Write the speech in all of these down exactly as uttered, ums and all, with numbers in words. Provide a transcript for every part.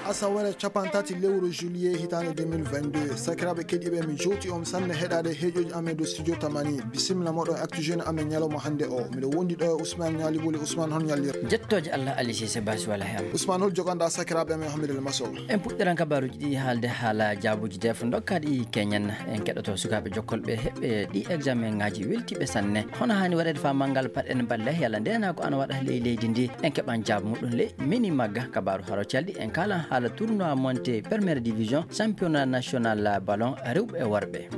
Asaweere capantati lewru juillet hitaande deux mille vingt-deux. Sakiraaɓe keɗiiɓe, mi jowti on sanne heɗaade heeƴooji amen dow studio Tamani. Bisimilla moɗon e Actu Jeune amen ñalawma hannde o. Miɗo wondi ɗo e Ousmane Ñaali Buli. Ousmane, hol ñallir? Jettooje Allah, Ali Cissé Basi wala he am. Ousmane, hol joganɗa sakiraaɓe amen Hamidou El Masow? En puɗɗiran kabaaruuji ɗi haalde haala jaabuuji deef dokkaaɗi keñen. En keɗoto sukaaɓe jokkolɓe heɓɓe ɗi examen ŋaaji weltiiɓe sanne. Hono haani waɗeede faamal ngal, paɗen balle yalla ndeenaagu ana waɗa ley leydi ndi. En keɓan jaabu muɗum ley mini magga. Kabaaru haro calɗi en kaalan haala tournoi montée première division championnat national ballon rewɓe e worɓe.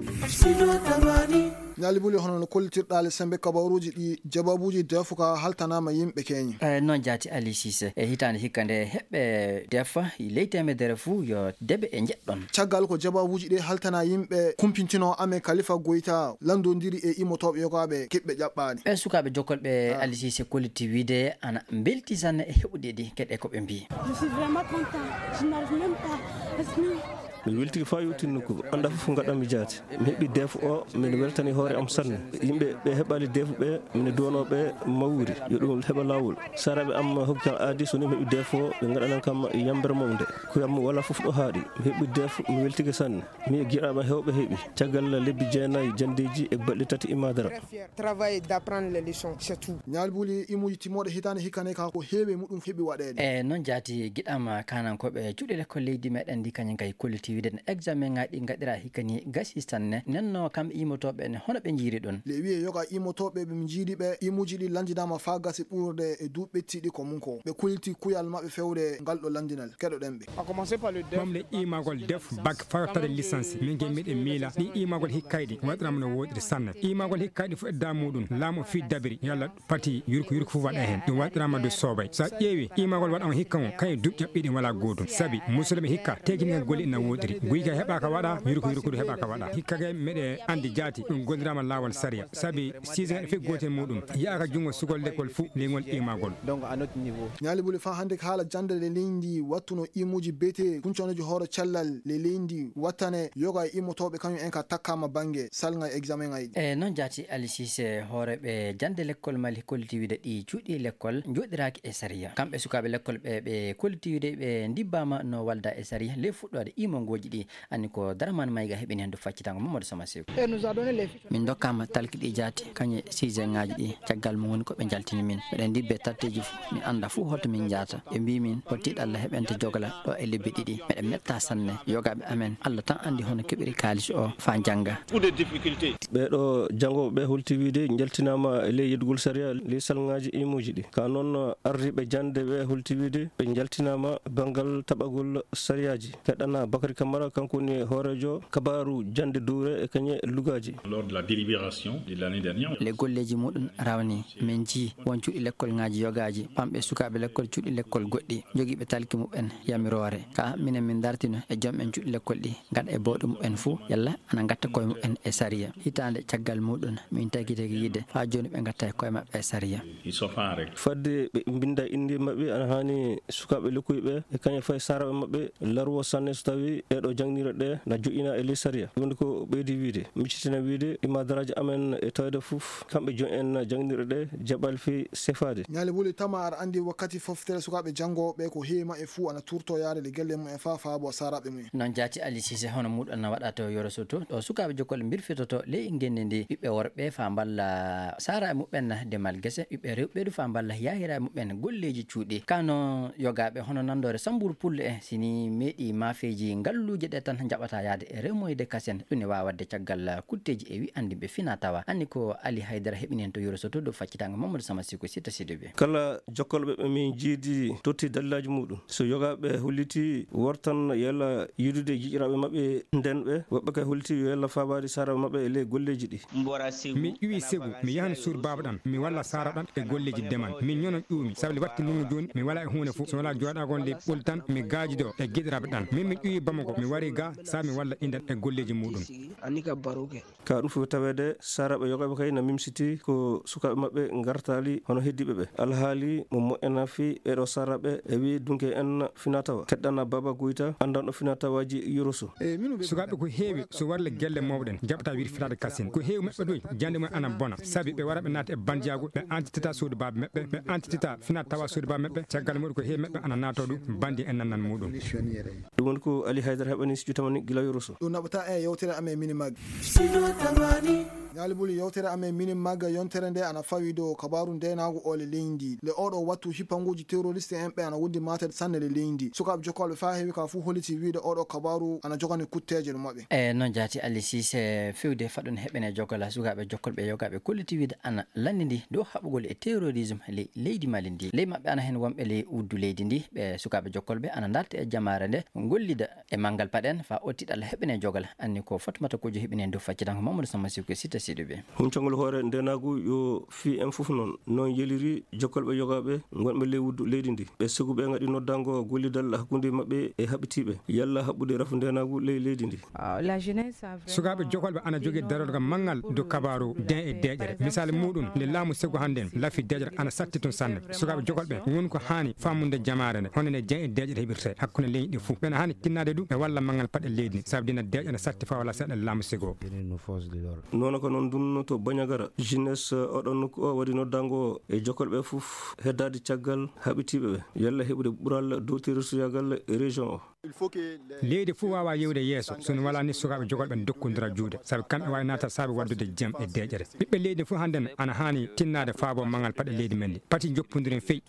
Ñaali Buli, hono no kollitirɗaa le sembe kabaaruuji ɗi, jabaabuuji deefuka haltanaama yimɓe keñi. E noon jaati Ali Cissé, e hitaande hikka nde heɓɓe deefa ley teemedere fuu yo debe e njeɗɗon. Caggal ko jabaabuuji ɗi haltana yimɓe kumpintino amen Kalifa Goyta landondiri e imotooɓe yogaaɓe keɓɓe ƴaɓɓaani. Ɓe sukaaɓe jokkolɓe Ah. Ali Cissé kollitti wiide ana mbelti sanne e heɓude ɗi keɗe ko ɓe mbii. Je suis vraiment content. Je n'arrive même pas à exprimer. Mi weltike faa yowtin nokku annda fof ngaɗanmi jaati. Mi heɓi deef o, miɗo weltani hoore am sanne. Yimɓe ɓe heɓaali deef ɓe, miɗo duwanoo ɓe mawri yo ɗum heɓa laawol. Saraaɓe am hokki kam aadi, so ni mi heɓi deef o, ɓe ngaɗanan kam yambere mawnde. Kuyam wala fof ɗo haaɗi. Mi heɓi deef, mi weltike sanne. Mi e giɗaɓe hewɓe heɓi caggal lebbi jeenayi jandeeji e balɗe tati imadara. Travail d'apprendre les leçons, c'est tout. Ñaali Buli, imuuji timmooɗe hitaande hikka ne ka ko heewi e muɗum heɓi waɗeede. E noon jaati giɗam kaanankooɓe cuuɗi lekkol leydi meɗen ndi kañum kay kolliti wiide no examen ŋaaji ɗi ngaɗira hikka ni gasi sanne. Nenno kam imotooɓe ne hono ɓe njiiri ɗum. Le wiye yoga imotooɓe ɓe njiidi ɓe imuuji ɗi lanndinaama faa gasi ɓurde e duuɓi ɓettiiɗi ko mum ko. Ɓe kolliti kuyal maɓɓe fewde ngal ɗo lanndinal. Keɗoɗen ɓe. Ɓamle iimagol def bak fawtade lisansi. Min ke miɗen miila ɗi iimagol hikkayɗi waɗirama no woɗiri sanne. Iimagol hikkayɗi fof e da muɗum laamu fii dabiri yalla pati yurko yurko fof waɗa heen. Ɗum waɗirama de soobay. So a ƴeewi iimagol waɗa on hikka on kañum duuɓi ƴaɓɓiɗi wala gootum. Sabi musidɗo ɓe hikka tekinike golle ina woɗiri. Guyka heɓaka waɗa, yurko yurko du heɓaka waɗa. Hikka kay meɗe andi jaati ɗum gondirama laawol sariya. Sabi siise ngaɗa fof gootel muɗum. Yaaka junngo sugol lekkol fof leyngol iimagol. Donc à notre niveau. Ñaali Buli, faa hannde ko haala jannde le leydi wattuno imuuji beete kuncanoji hoore cellal le leydi wattane yoga e immotooɓe kañum en ka takkaama bannge salnga e examen ŋaaji. E noon jaati Ali Cissé, hooreeɓe jannde lekkol Mali kolliti wiide ɗi cuuɗi lekkol njooɗiraaki e sariya. Kamɓe sukaaɓe lekkol ɓe, ɓe kolliti wiide ɓe ndibbaama no walda e sariya le fuɗɗoode imongooji ɗi. Anni ko Daraman Mayga heɓini heen du faccitango Mamadou Sama Seeku. Min ndokkaama talki ɗi jaati, kañe siise ŋaaji ɗi, caggal mum woni ko ɓe njaltini min. Miɗen ndibbe tatteeji fof, min annda fof holto min njahata. Ɓe mbii min, ko tiiɗalla heɓente jogla ɗo e lebbi ɗiɗi. Meɗen metta sanne. Yogaaɓe amen, Allah tan anndi hono keɓiri kaalis o faa njannga. Ɓee ɗo janngooɓe ɓe holti wiide njaltinaama e ley yeddugol sariya, ley salngaaji imuuji ɗi. Ka noon, ardiiɓe jannde ɓe holti wiide ɓe njaltinaama banngal taɓagol sariyaaji. Keɗɗana Bakary Camara, kanko woni hooreejo kabaaru jannde duure e kañe lugaaji. Lors de la délibération de l'année dernière. Le golleeji muɗum rawni, min njii won cuuɗi lekkol ŋaaji yogaaji, pamɓe sukaaɓe lekkol cuuɗi lekkol goɗɗi, jogiiɓe talki muɓɓen yamiroore. Ka minen min dartino e joom en cuuɗi lekkol ɗi, ngaɗa e bawɗe muɓɓen fuu, yalla ana ngatta koye muɓɓen e sariya. Hitaande caggal muɗum, min tagi tagi yiide, faa jooni ɓe ngatta e koye maɓɓe e sariya. Ils sont pas en règle. Fadde ɓe mbinnda innde maɓɓe, ana haani sukaaɓe lekkoy ɓe, e kañum fayi saaraaɓe maɓɓe, larwo sanne so tawii ɗee ɗo jannginirɗe ɗe na joƴƴina e ley sariya. Woni ko ɓeydi wiide, miccitina wiide, imadaraaji amen e tawde fof, kamɓe jooni en jannginirɗe ɗe, jaɓal fii sefaade. Ñaali Buli, tama aɗa anndi wakkati foftere sukaaɓe janngooɓe ko heewi maɓɓe fuu ana turto yaade le gelle mum en faa faabo saaraaɓe mum en. Noon jaati Ali Cissé, hono muɗum na waɗa to Yoro Soto, ɗo sukaaɓe jokkol mbirfitoto ley ngenndi ndi, ɓiɓɓe worɓe faa mballa saaraaɓe muɓɓen demal gese, ɓiɓɓe rewɓe du faa mballa yaahiraaɓe muɓɓen golleeji cuuɗi. Kano yogaaɓe hono nanndoore Sambuur Pullo en, si ni meeɗi maafeeji ngalluuje ɗe tan njaɓata yaade e remoyde kasen, ɗum ne waawa waɗde caggal kutteeji e wi anndi ɓe fina tawa. Anni ko Ali Haydara heɓini heen to Yoro Soto dow faccitaango Mamadou Sama Siko Sitta Sidibé. Kala jokkolɓe ɓe min jiidi totti dallaaji muɗum. So yogaaɓe holliti wortan yalla yiidude jiƴiraaɓe maɓɓe nden ɓe, woɓɓe kay holliti yo yalla faabaade saaraaɓe maɓɓe e ley golleeji ɗi. Mi ƴuwi segu, mi yahan suur baaba ɗan, mi walla saara ɗan e golleeji demal. Mi ñono ƴuumi, sabu le watti nungu jooni, mi wala e huunde fof. So wala jooɗaagol nde ɓoli tan, mi gaajido e giɗiraaɓe ɗan. Min mi ƴuwi Bamako. Mi wari ga, sa mi walla indal e golleeji muɗum. Ka ɗum fof taweede, saaraaɓe yogaaɓe kay na mimsiti ko sukaaɓe maɓɓe ngartaali hono heddiiɓe ɓe. Alhaali mo moƴƴana fii ɓeeɗo saaraaɓe e wi'i dunke en finaa tawa. Teɗɗana Baba Guyta, anndanɗo finaa tawaaji Yoroso. Sukaaɓe ko heewi, so warle gelle mawɗen, jaɓata wiide fitaade kasin. Ko heewi maɓɓe ɗoy, jannde mum ana bona. Sabi ɓe wara ɓe naata e bandiyaagu, ɓe antitita suudu baaba maɓɓe, ɓe antitita finaa tawa suudu baaba maɓɓe. Caggal muɗum ko heewi maɓɓe ana naatoo ɗum, bandi en nannan muɗum. Ɗum woni ko Ali Haydara heɓani studio tamani gila Yoroso. Ɗum naɓata e yewtere amen mini mag. Studio tamani. Ñaali buli yewtere amen mini mag yontere nde ana fawi dow kabaaru ndeenaagu ole leydi. Le oɗo wattu hippanguuji terroriste en ɓe ana wondi maate sanne le leydi. Sukaaɓe jokkalɓe faa heewi ka fuu holliti wiide oɗo kabaaru ana jogani kutteeje no maɓɓe. E noon jaati Ali Sise fewde faɗɗun heɓene jokkala sukaaɓe jokkalɓe yogaaɓe kolliti wiide ana lannindi dow haɓugol e terrorisme ley leydi Mali ndi. Ley maɓɓe ana heen wonɓe ley uddu leydi ndi. Ɓe sukaaɓe jokkolɓe ana ndarta e jamaare nde ngollida e manngal paɗen faa ottiɗal heɓene jogal. Anni ko Fatumata Kojo heɓine dow faccitanko Mamadou Samma Siko Sita Siduɓe. Huncangol hoore ndenaagu yo fii en fof noon. Noon yeliri jokkolɓe yogaaɓe ngonɓe ley uddu leydi ndi. Ɓe siguɓe ngaɗi noddango gollidal hakkunde maɓɓe e haɓitiiɓe. Yalla haɓɓude rafu ndenaagu ley leydi ndi. Sukaaɓe jokolɓe ana jogii darorga manngal dow kabaaru den e deeƴere. Misaali muɗum, nde laamu segu hannden lafi deeƴere ana satti tun sanne. Sukaaɓe jokolɓe won ko haani faamunde jamaare nde, hono nde den e deeƴere heɓirte hakkunde leñi ɗi fuu. Ɓena haani tinnaade ɗum e walla manngal paɗe leydi ndi, sabu dina deeƴere satti faa wala seeɗa laamu segu o. Noon ko noon ndun to Bandiagara, jeunesse oɗon nokku o waɗi noddango e jokolɓe fof heddaade caggal haɓitiiɓe ɓe, yalla heɓude ɓural dow terrorisuyaagal e région o. Leydi fof waawaa yewde yeeso so no walaa ni sukaaɓe jogolɓe ndokkondira juuɗe, sabu kamɓe waawi naata saabe waɗdude jam e deeƴere. Ɓiɓɓe leydi fof hannden ana haani tinnaade faabo manngal paɗe leydi men ndi. Pati njoppondiren fey.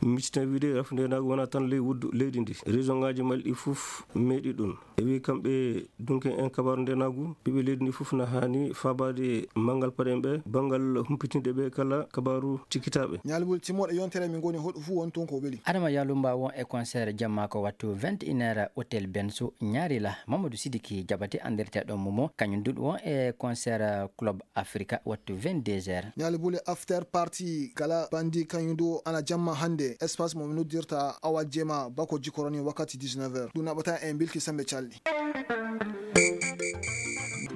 Miccita wiide rafu ndenaagu wonaa tan ley wuddu leydi ndi. Région ngaaji Mali ɗi fof meeɗi ɗum. E wi kamɓe dunke en kabaaru ndenaagu, ɓiɓɓe leydi ndi fof na haani faabaade manngal paɗen ɓe, banngal humpitinde ɓe kala kabaaru cikkitaaɓe. Ñaalgol timmoɗo yontere min ngoni hoɗo fof won toon ko weli. Adama Yalumba won e concert jamma ko wattu vingt et une heures Hôtel Benso Ñaarila. Mamadou Sidiki Jabate anndirteeɗo Momo, kañum duɗ won e concert Club Africa wattu vingt-deux heures. Ñaali buli after party kala bandi kañum du ana jamma hannde espace mo mi noddirta Awa Jema bako jikoroni wakkati dix-neuf heures. Ɗum naɓata en bilki sembe calɗi.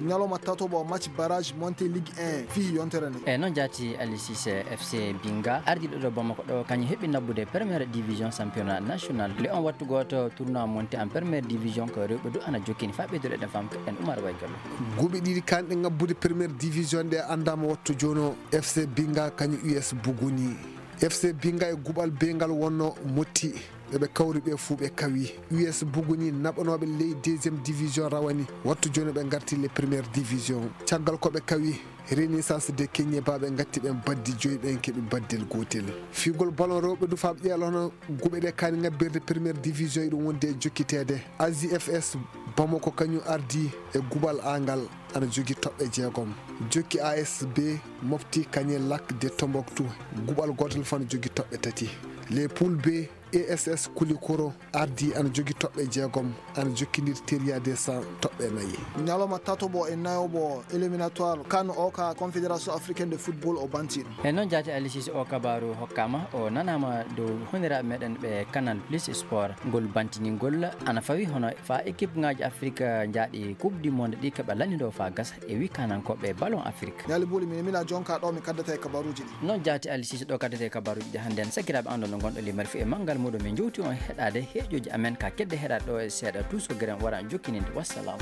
Ñalawma tatoɓo match barrage monté Ligue un fii yontere nde. E noon jaati Ali Cissé F C Binga ardiiɗo ɗo Bamako ɗo kañum heɓi nabbude première division championnat national. Le on wattu gooto tournoi monté en première division ko rewɓe du ana jokkini faa ɓeydude ɗen fam en Oumar Waygallo. Guɓe ɗiɗi kanɗe ngabbude première division ɗe anndaama wattu jooni o F C Binga kañum U S Buguni. F C Binga e guɓal bee ngal wonno motti. Ɓe ɓe kawri ɓe fuu ɓe kawi. U S Buguni naɓanooɓe ley deuxième division rawani. Wattu jooni ɓe ngarti le première division. Caggal ko ɓe kawi Renaissance de Kenyeba ɓe ngatti ɓen baddi joyi ɓen keɓi baddel gootel. Fiigol ballon rewɓe du faa ɓe ƴeela hono guɓe ɗe kaani ngabbirde première division e ɗum wonde e jokkiteede. A J F S Bamako kañum ardi e guɓal angal ana jogi toɓɓe jeegom. Jokki A S B Mopti Kanye Lac de Tombouctou guɓal gootal fof ana jogi toɓɓe tati. Les poules B A S S Koulikoro ardi ana jogi toɓɓe jeegom, ana jokkindir Teria de cent toɓɓe nayi. Ñalawma tatoɓo e nayoɓo éliminatoire kan o ka Confédération Africaine de Football o banti ɗum. E noon jaati Ali Cissé o kabaaru hokkaama, o nanaama dow honiraaɓe meɗen ɓe Canal Plus Sport. Ngol bantingol ana fawi hono faa équipe ngaaji Afrique njaaɗi Coupe du Monde ɗi keɓa lanndidoo faa gasa e wi kanankooɓe ballon Afrique. Ñaali buuli min mina jonka ɗo mi kaddata e kabaruuji ɗi. Noon jaati Ali Cissé ɗo kaddata e kabaruuji ɗi hannde en sakiraaɓe anndon no ngonɗo limere fii e manngal muɗum min jowti on heɗaade heeƴooji amen ka kedde heɗaade ɗo e seeɗa tuuso geren wara jokkininde. Wassalam.